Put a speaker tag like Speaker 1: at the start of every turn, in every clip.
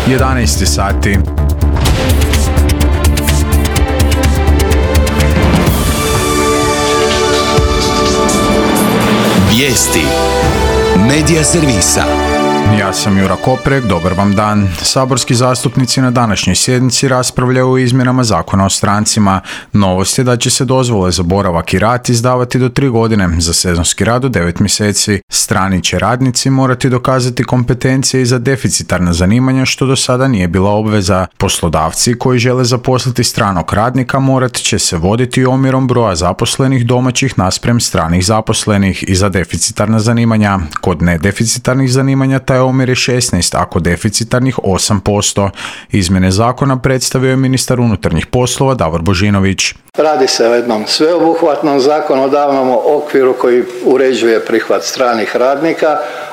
Speaker 1: 11 sati.
Speaker 2: Vijesti Medija servisa.
Speaker 1: Ja sam Jura Koprek, dobar vam dan. Saborski zastupnici na današnjoj sjednici raspravljaju o izmjenama Zakona o strancima. Novost je da će se dozvole za boravak i rad izdavati do 3 godine, za sezonski rad do 9 mjeseci. Strani će radnici morati dokazati kompetencije i za deficitarna zanimanja, što do sada nije bila obveza. Poslodavci koji žele zaposliti stranog radnika morat će se voditi omjerom broja zaposlenih domaćih naspram stranih zaposlenih i za deficitarna zanimanja. Kod nedeficitarnih zanimanja taj omjer je 16, a kod deficitarnih 8%. Izmjene zakona predstavio je ministar unutarnjih poslova Davor Božinović.
Speaker 3: Radi se o jednom sveobuhvatnom zakonodavnom okviru koji uređuje prihvat stranih radnika,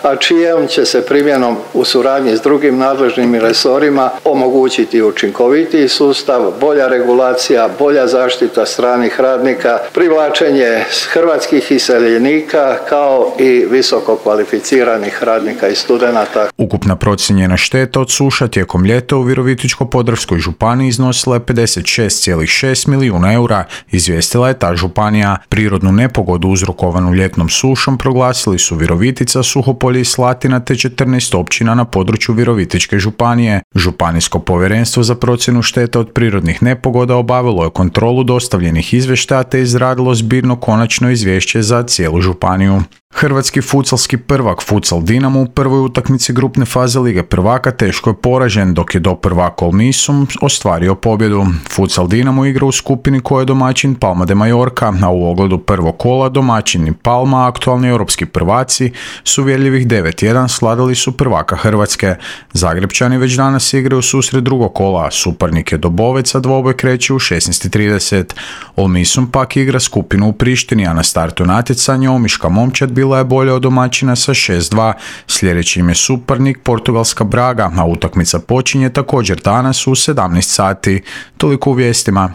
Speaker 3: a čijom će se primjenom u suradnji s drugim nadležnim resorima omogućiti učinkovitiji sustav, bolja regulacija, bolja zaštita stranih radnika, privlačenje hrvatskih iseljenika kao i visoko kvalificiranih radnika i studenata.
Speaker 1: Ukupna procijenjena šteta od suša tijekom ljeta u Virovitičko-podravskoj županiji iznosila je 56,6 milijuna eura, izvijestila je ta županija. Prirodnu nepogodu uzrokovanu ljetnom sušom proglasili su Virovitica, Suhopolje i Slatina te 14 općina na području Virovitičke županije. Županijsko povjerenstvo za procjenu šteta od prirodnih nepogoda obavilo je kontrolu dostavljenih izvještaja te izradilo zbirno konačno izvješće za cijelu županiju. Hrvatski futsalski prvak Futsal Dinamo u prvoj utakmici grupne faze Lige prvaka teško je poražen, dok je doprvak Olmisum ostvario pobjedu. Futsal Dinamo igra u skupini koja je domaćin Palma de Mallorca, a u ogledu prvog kola domaćini Palma, aktualni europski prvaci, s uvjerljivih 9-1 sladali su prvaka Hrvatske. Zagrebčani već danas igraju susret drugog kola, suparnik je Dobovec, a dvoboj kreće u 16:30. Olmisum pak igra skupinu u Prištini, a na startu natjecanja omiška momčad bila je bolja od domaćina sa 6-2. Sljedeći im je suparnik Portugalska Braga, a utakmica počinje također danas u 17 sati. Toliko u vijestima.